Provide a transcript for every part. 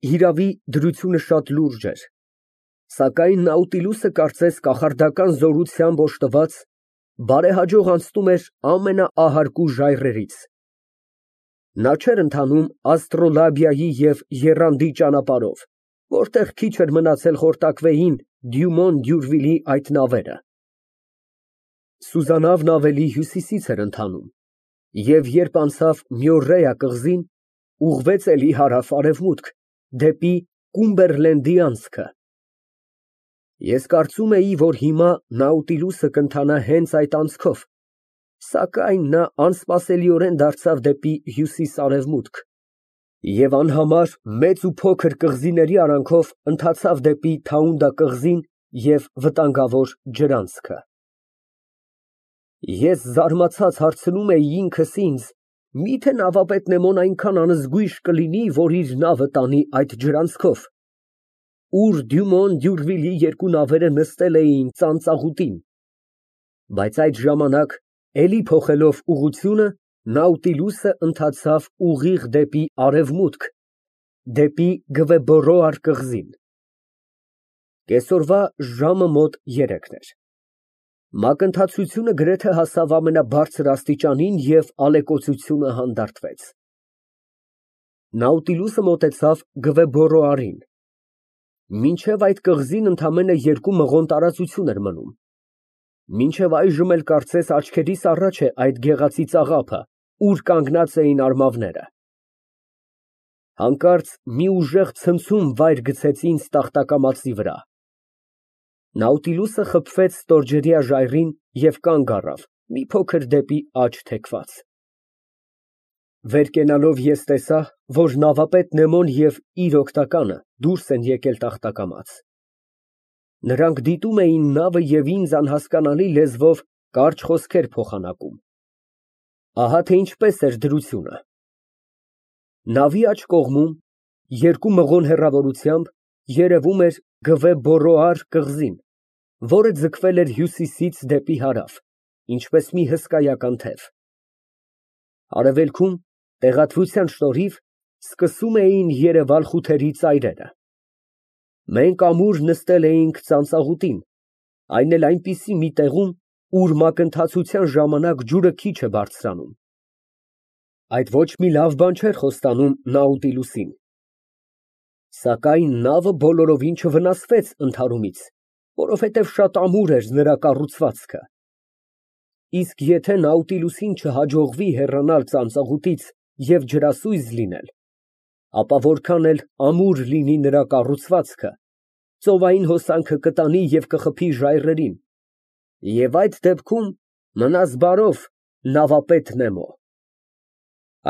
Հիրավի, դրությունը շատ լուրջ էր, սակայն Նաուտիլուսը կարծես կախարդական զորությամբ օժտված, բարեհաջող անցնում էր ամենաահարկու ժայռերից։ Նա չէր ընթանում աստրոլաբիայի և եռանդի ճանապարհով, որտեղ քիչ էր մնացել խորտակվեին Դյումոն Դյուրվիլի այդ նավերը։ Սուզանավն ավելի հյուսիսից էր ընթանում և երբ անցավ Մյորրեա կղզին, ուղղվեց էլի հարավ֊արևմուտք, դեպի Կումբերլենդի անցքը։ Ես կարծում էի, որ հիմա Նաուտիլուսը կընթանա հենց այդ անցքով, սակայն նա անսպասելիորեն դարձավ դեպի հյուսիս֊արևմուտք և անհամար մեծ ու փոքր կղզիների արանքով ընթացավ դեպի Թաունդա կղզին և վտանգավոր ջրանցքը։ Ես զարմացած հարցնում էի ինքս ինձ. միթե նավապետ Նեմոն այնքան անզգույշ կլինի, որ իր նավը տանի այդ ջրանցքով, ուր Դյումոն Դյուրվիլի երկու նավերը նստել էին ծանծաղուտին, բայց այդ ժամանակ, էլի փոխելով ուղղությունը, Նաուտիլուսը ընթացավ ուղիղ դեպի արևմուտք, դեպի Գվեբորոար կղզին։ Կեսօրվա ժամը մոտ 3-ն էր։ Մակընթացությունը գրեթե հասավ ամենաբարձր աստիճանին և ալեկոծությունը հանդարտվեց։ Նաուտիլուսը մոտեցավ Գվեբորոարին։ Մինչև այդ կղզին ընդամենը 2 մղոն տարածություն էր մնում։ Մինչև այժմ էլ կարծես աչքերիս առաջ է այդ գեղացի ծաղափը, ուր կանգնած էին արմավները։ Հանկարծ մի ուժեղ ցնցում վայր գցեց ինձ տախտակամածի վրա։ Նաուտիլուսը խփվեց ստորջրյա ժայռին և կանգ առավ, մի փոքր դեպի աջ թեքված։ Վեր կենալով ես տեսա, որ նավապետ Նեմոն և իր օգնականը դուրս են եկել տախտակամաց։ Նրանք դիտում էին նավը և ինձ անհասկանալի լեզվով կարճ խոսքեր փոխանակում։ Ահա թե ինչպես էր դրությունը. նավի աջ կողմում, 2 մղոն հեռավորությամբ, երևում էր Գվեբորոար կղզին, որը ձգվել էր հյուսիսից դեպի հարավ, ինչպես մի հսկայական թև։ Արևելքում, տեղատվության շնորհիվ, սկսում էին երևալ խութերի ծայրերը։ Մենք ամուր նստել էինք ծանծաղուտին, այն էլ այնպիսի մի տեղում, ուր մակընթացության ժամանակ ջուրը քիչ է բարձրանում։ Այդ ոչ մի լավ բան չէր խոստանում Նաուտիլուսին։ Սակայն նավը բոլորովին չվնասվեց ընդհարումից, որովհետև շատ ամուր էր նրա կառուցվածքը։ Իսկ եթե Նաուտիլուսին չհաջողվի հեռանալ ծանծաղուտից և ջրասույզ լինել, ապա որքան էլ ամուր լինի նրա կառուցվածքը, ծովային հոսանքը կտանի և կխփի ժայռերին, և այդ դեպքում մնաս բարով, նավապետ Նեմո։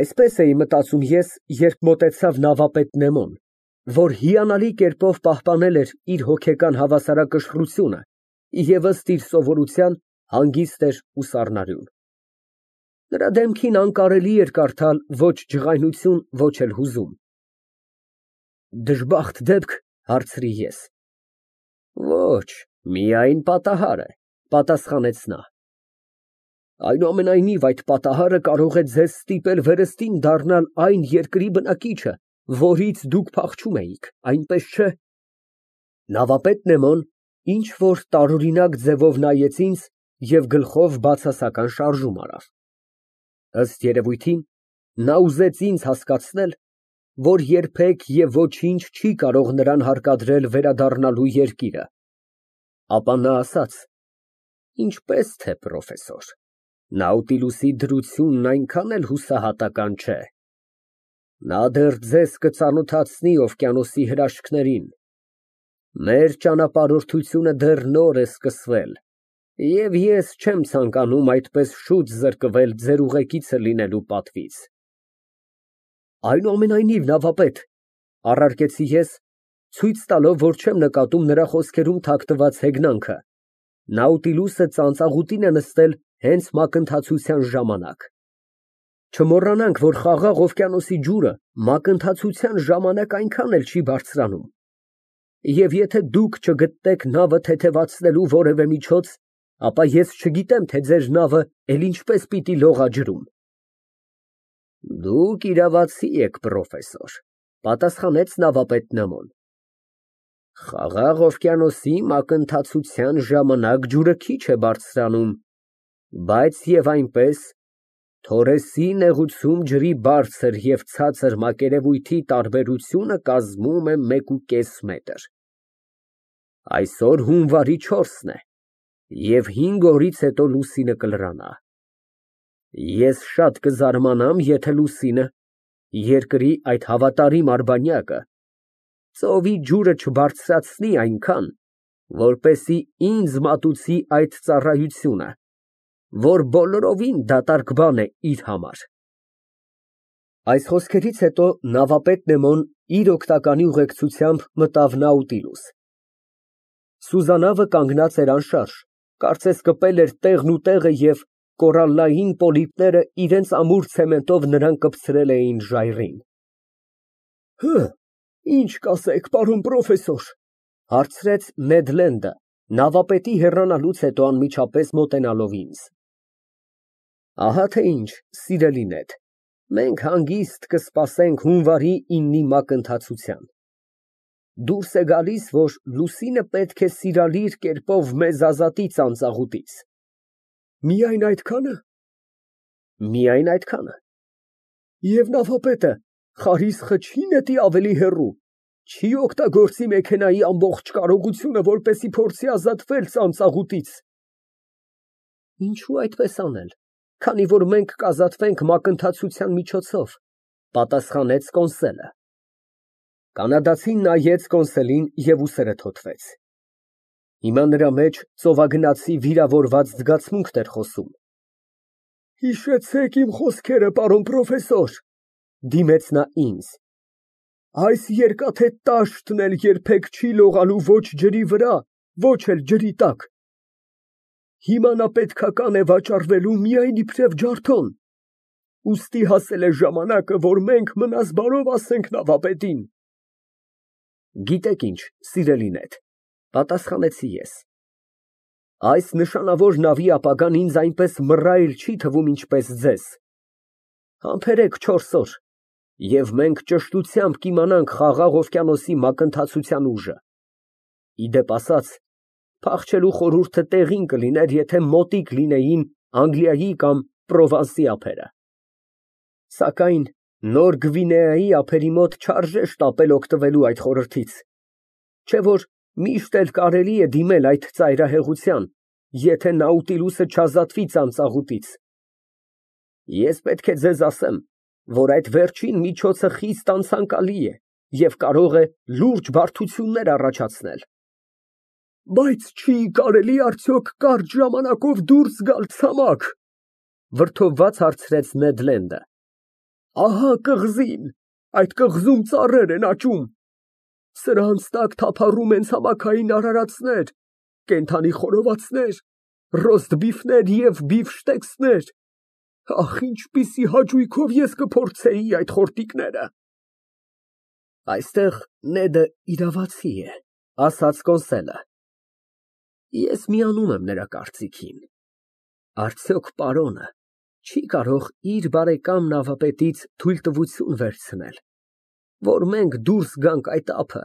Այսպես էի մտածում ես, երբ մոտեցավ նավապետ Նեմոն, որ հիանալի կերպով պահպանել էր իր հոգեկան հավասարակշռությունը և ըստ իր սովորության հանգիստ էր ու սառնարյուն։ Նրա դեմքին անկարելի էր կարդալ ոչ ջղայնություն, ոչ էլ հուզում։ Դժբախտ դեպք, հարցրի ես։ Ոչ, միայն պատահար է, պատասխանեց նա։ Այնուամենայնիվ, այդ պատահարը կարող է ձեզ ստիպել վերստին դառնալ այն երկրի բնակիչը, որից դուք փախչում էիք, այնպես չէ։ Նավապետ Նեմոն ինչ֊որ տարօրինակ ձևով նայեց ինձ և գլխով բացասական շարժում արավ։ Ըստ երևույթին, նա ուզեց ինձ հասկացնել, որ երբեք և ոչինչ չի կարող նրան հարկադրել վերադառնալու երկիրը։ Ապա նա ասաց. ինչպես թե պրոֆեսոր, Նաուտիլուսի դրությունն այնքան էլ հուսահատական չէ։ Նա դեռ ձեզ կծանոթացնի օվկիանոսի հրաշքներին։ Մեր ճանապարհորդությունը դեռ նոր է սկսվել, և ես չեմ ցանկանում այդպես շուտ զրկվել ձեր ուղեկիցը լինելու պատվից։ Այնուամենայնիվ, նավապետ, առարկեցի ես, ցույց տալով, որ չեմ նկատում նրա խոսքերում թաքնված հեգնանքը, Նաուտիլուսը ծանծաղուտին է նստել հենց մակընթացության ժամանակ։ Չմոռանանք, որ Խաղաղ օվկիանոսի ջուրը մակընթացության ժամանակ այնքան էլ չի բարձրանում, և եթե դուք չգտնեք նավը թեթևացնելու որևէ միջոց, ապա ես չգիտեմ, թե ձեր նավը էլ ինչպես պիտի լողա ջրում։ Դուք իրավացի եք, պրոֆեսոր, Պատասխանեց նավապետ Նեմոն։ Խաղաղ օվկիանոսի մակընթացության ժամանակ ջուրը քիչ է բարձրանում, բայց եւ այնպես Թորեսի նեղուցում ջրի բարձր և ցածր մակերևույթի տարբերությունը կազմում է 1.5 մետր։ Այսօր հունվարի 4-ն է, և 5 օրից հետո լուսինը կլրանա։ Ես շատ կզարմանամ, եթե լուսինը, երկրի այդ հավատարիմ արբանյակը, ծովի ջուրը չբարձրացնի այնքան, որպեսզի ինձ մատուցի այդ ծառայությունը, որ բոլորովին դատարկ բան է իր համար։ Այս խոսքերից հետո նավապետ Նեմոն իր օգնականի ուղեկցությամբ մտավ Նաուտիլուս։ Սուզանավը կանգնած էր անշարժ, կարծես կպել էր տեղն ու տեղը և կորալլային պոլիպները իրենց ամուր ցեմենտով նրան կպցրել էին ժայռին։ Ինչ կասեք, պարոն պրոֆեսոր, հարցրեց Նեդ Լենդը, նավապետի հեռանալուց հետո անմիջապես մոտենալով ինձ։ Ահա թե ինչ, սիրելի Նեդ, մենք հանգիստ կսպասենք հունվարի 9-ի մակընթացության։ Դուրս է գալիս, որ լուսինը պետք է սիրալիր կերպով մեզ ազատի ծանծաղուտից։ Միայն այդքա՞ն։ Միայն այդքանը։ Եվ նավապետը խարիսխը չի նետի ավելի հեռու, չի օգտագործի մեքենայի ամբողջ կարողությունը, որպեսզի փորձի ազատվել ծանծաղուտից։ Ինչու այդպես անել, քանի որ մենք կազատվենք մակընթացության միջոցով, պատասխանեց կոնսոլը։ Կանադացին նայեց կոնսոլին և ուսերը թոթվեց։ Հիմա նրա մեջ ծովագնացի վիրավորված զգացմունքն էր խոսում։ Հիշեցեք իմ խոսքերը, պարոն պրոֆեսոր, դիմեց նա ինձ։ Այս երկաթե տաշտն էլ երբեք չի լողալու ոչ ջրի վրա, ոչ էլ ջրի տակ։ Հիմա նա պետքական է վաճառվելու միայն իբրև ջարդոն։ Ուստի հասել է ժամանակը, որ մենք մնաս բարով ասենք նավապետին։ Գիտեք ինչ, սիրելի Նեդ, պատասխանեցի ես։ Այս նշանավոր նավի ապագան ինձ այնպես մռայլ չի թվում, ինչպես ձեզ։ Համբերեք 4 օր, և մենք ճշտությամբ կիմանանք Խաղաղ օվկիանոսի մակընթացության ուժը։ Իդեպ ասած, փախչելու խորհուրդը տեղին կլիներ, եթե մոտիկ լինեին Անգլիայի կամ Պրովանսի ափերը։ Սակայն Նոր Գվինեայի ափերի մոտ չարժե շտապել օգտվելու այդ խորհրդից, չէ որ միշտ էլ կարելի է դիմել այդ ծայրահեղության, եթե Նաուտիլուսը չազատվի ծանծաղուտից։ Ես պետք է ձեզ ասեմ, որ այդ վերջին միջոցը խիստ անցանկալի է և կարող է լուրջ բարդություններ առաջացնել։ Բայց չի կարելի արդյոք կարճ ժամանակով դուրս գալ ցամաք, վրդովված հարցրեց Նեդ Լենդը։ Ահա կղզին, այդ կղզում ծառեր են աճում։ Սրանց տակ թափառում են ցամաքային արարածներ, կենդանի խորովածներ, ռոստբիֆներ և բիֆշտեքսներ։ Ախ, ինչպիսի հաճույքով ես կփորձեի այդ խորտիկները։ Այստեղ Նեդը իրավացի է, ասաց կոնսոլը։ Ես միանում եմ նրա կարծիքին։ Արդյոք պարոնը չի կարող իր բարեկամ նավապետից թույլտվություն վերցնել, որ մենք դուրս գանք այդ ափը,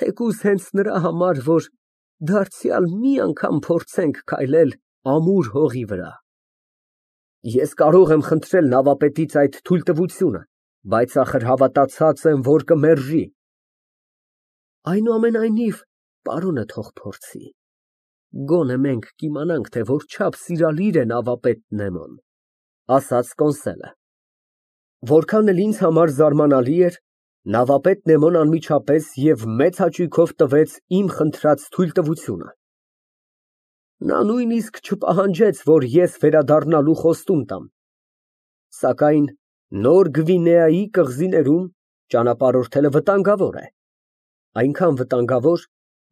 թեկուզ հենց նրա համար, որ դարձյալ մի անգամ փորձենք քայլել ամուր հողի վրա։ Ես կարող եմ խնդրել նավապետից այդ թույլտվությունը, բայց ախր հավատացած եմ, որ կմերժի։ Այնուամենայնիվ, պարոնը թող փորձի։ Գոնե մենք կիմանանք, թե որչափ սիրալիր է նավապետ Նեմոն, ասաց կոնսոլը։ Որքան էլ ինձ համար զարմանալի էր, նավապետ Նեմոն անմիջապես և մեծ հաճույքով տվեց իմ խնդրած թույլտվությունը։ Նա նույնիսկ չպահանջեց, որ ես վերադառնալու խոստում տամ։ Սակայն Նոր Գվինեայի կղզիներում ճանապարհորդելը վտանգավոր է։ Այնքան վտանգավոր,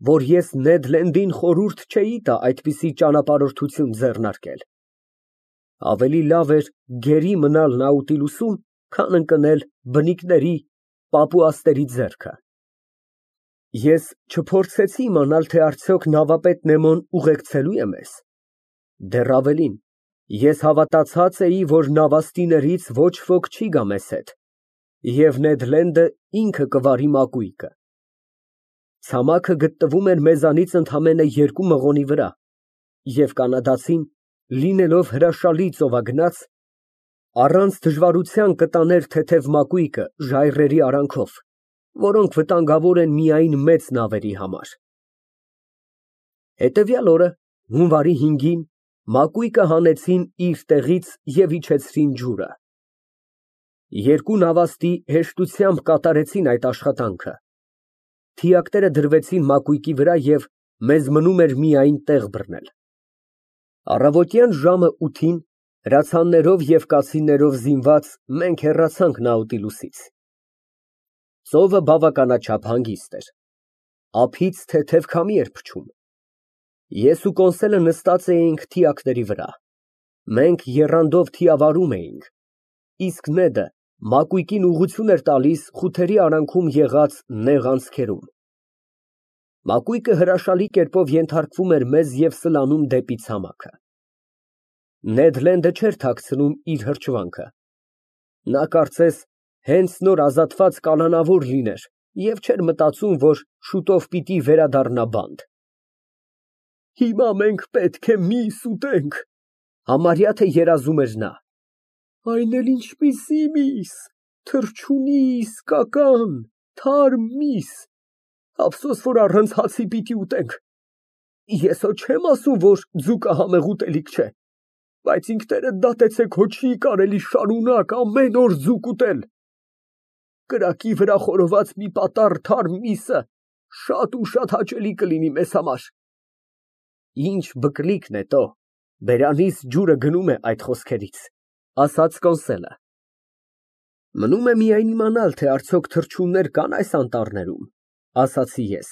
որ ես Նեդ Լենդին խորհուրդ չէի տա այդպիսի ճանապարհորդություն ձեռնարկել։ Ավելի լավ էր գերի մնալ Նաուտիլուսում, քան ընկնել բնիկների, պապուասների ձեռքը։ Ես չփորձեցի իմանալ, թե արդյոք նավապետ Նեմոն ուղեկցելու է մեզ։ Դեռ ավելին, ես հավատացած էի, որ նավաստիներից ոչ ոք չի գա մեզ հետ, Եվ Նեդ Լենդը ինքը կվարի մակույկը։ Ցամաքը գտնվում էր մեզանից ընդամենը 2 մղոնի վրա, և կանադացին, լինելով հրաշալի ծովագնաց, առանց դժվարության կտաներ թեթև մակույկը ժայռերի արանքով, որոնք վտանգավոր են միայն մեծ նավերի համար։ Հետևյալ օրը, հունվարի 5-ին, մակույկը հանեցին իր տեղից և իջեցրին ջուրը։ 2 նավաստի հեշտությամբ կատարեցին այդ աշխատանքը։ Թիակները դրվեցին մակույկի վրա և մեզ մնում էր միայն տեղ բռնել։ Առավոտյան ժամը 8-ին, հրացաններով և կացիններով զինված, մենք հեռացանք Նաուտիլուսից։ Ծովը բավականաչափ հանգիստ էր։ Ափից թեթև քամի էր փչում։ Ես ու Կոնսելը նստած էինք թիակների վրա։ Մենք եռանդով թիավարում էինք, իսկ Նեդը մակույկին ուղղություն էր տալիս խութերի արանքում եղած նեղ անցքերում։ Մակույկը հրաշալի կերպով ենթարկվում էր մեզ և սլանում դեպի ցամաքը։ Նեդ Լենդը չէր թաքցնում իր հրճվանքը։ Նա կարծես հենց նոր ազատված կալանավոր լիներ և չէր մտածում, որ շուտով պիտի վերադառնա բանտ։ Հիմա մենք պետք է միս ուտենք, համարյա թե երազում էր նա։ Այն էլ ինչպիսի միս, թռչունի իսկական, թարմ միս, ափսոս, որ առանց հացի պիտի ուտենք։ Ես հո չեմ ասում, որ ձուկը համեղ ուտելիք չէ, բայց ինքներդ դատեցեք, հո չի կարելի շարունակ ամեն օր ձուկ ուտել։ Կրակի վրա խորոված մի պատառ թարմ միսը շատ ու շատ հաճելի կլինի մեզ համար։ Ինչ բկլիքն է տո, բերանիս ջուրը գնում է այդ խոսքերից, ասաց Կոնսելը։ Մնում է միայն իմանալ, թե արդյոք թռչուններ կան այս անտառներում, ասացի ես։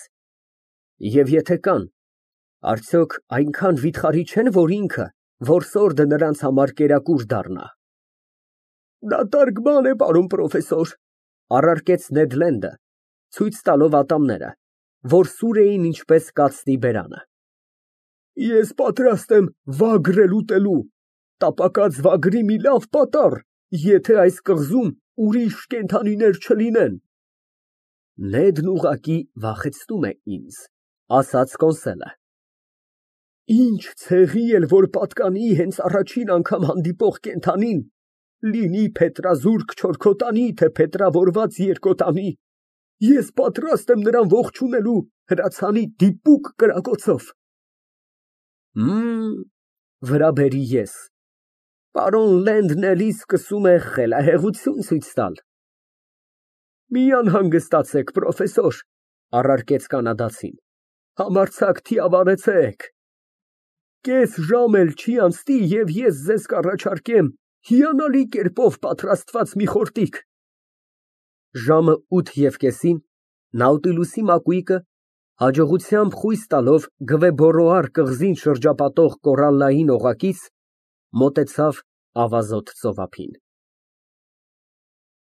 Եվ եթե կան, արդյոք այնքան վիթխարի չեն, որ ինքը, որսորդը նրանց համար կերակուր դառնա։ Դատարկ բան է, պարոն պրոֆեսոր, առարկեց Նեդ Լենդը, ցույց տալով ատամները, որ սուր էին ինչպես կացնի բերանը։ Ես պատրաստ եմ վագրել ուտելու, տապակած վագրի մի լավ պատառ, եթե այս կղզում ուրիշ կենդանիներ չլինեն։ Նեդն ուղղակի վախեցնում է ինձ, ասաց Կոնսելը։ Ինչ ցեղի էլ որ պատկանի հենց առաջին անգամ հանդիպող կենդանին, լինի փետրազուրկ չորքոտանի, թե փետրավորված երկոտանի, ես պատրաստ եմ նրան ողջունելու հրացանի դիպուկ կրակոցով։ Վրա բերի ես։ Պարոն Լենդն էլի սկսում է խելահեղություն ցույց տալ։ Մի անհանգստացեք, պրոֆեսոր, առարկեց կանադացին, համարձակ թիավարեցեք։ Կես ժամ էլ չի անցնի, և ես ձեզ կառաջարկեմ հիանալի կերպով պատրաստված մի խորտիկ։ Ժամը 8:30-ին Նաուտիլուսի մակույկը, հաջողությամբ խույս տալով Գվեբորոար կղզին շրջապատող կորալլային օղակից, մոտեցավ ավազոտ ծովափին։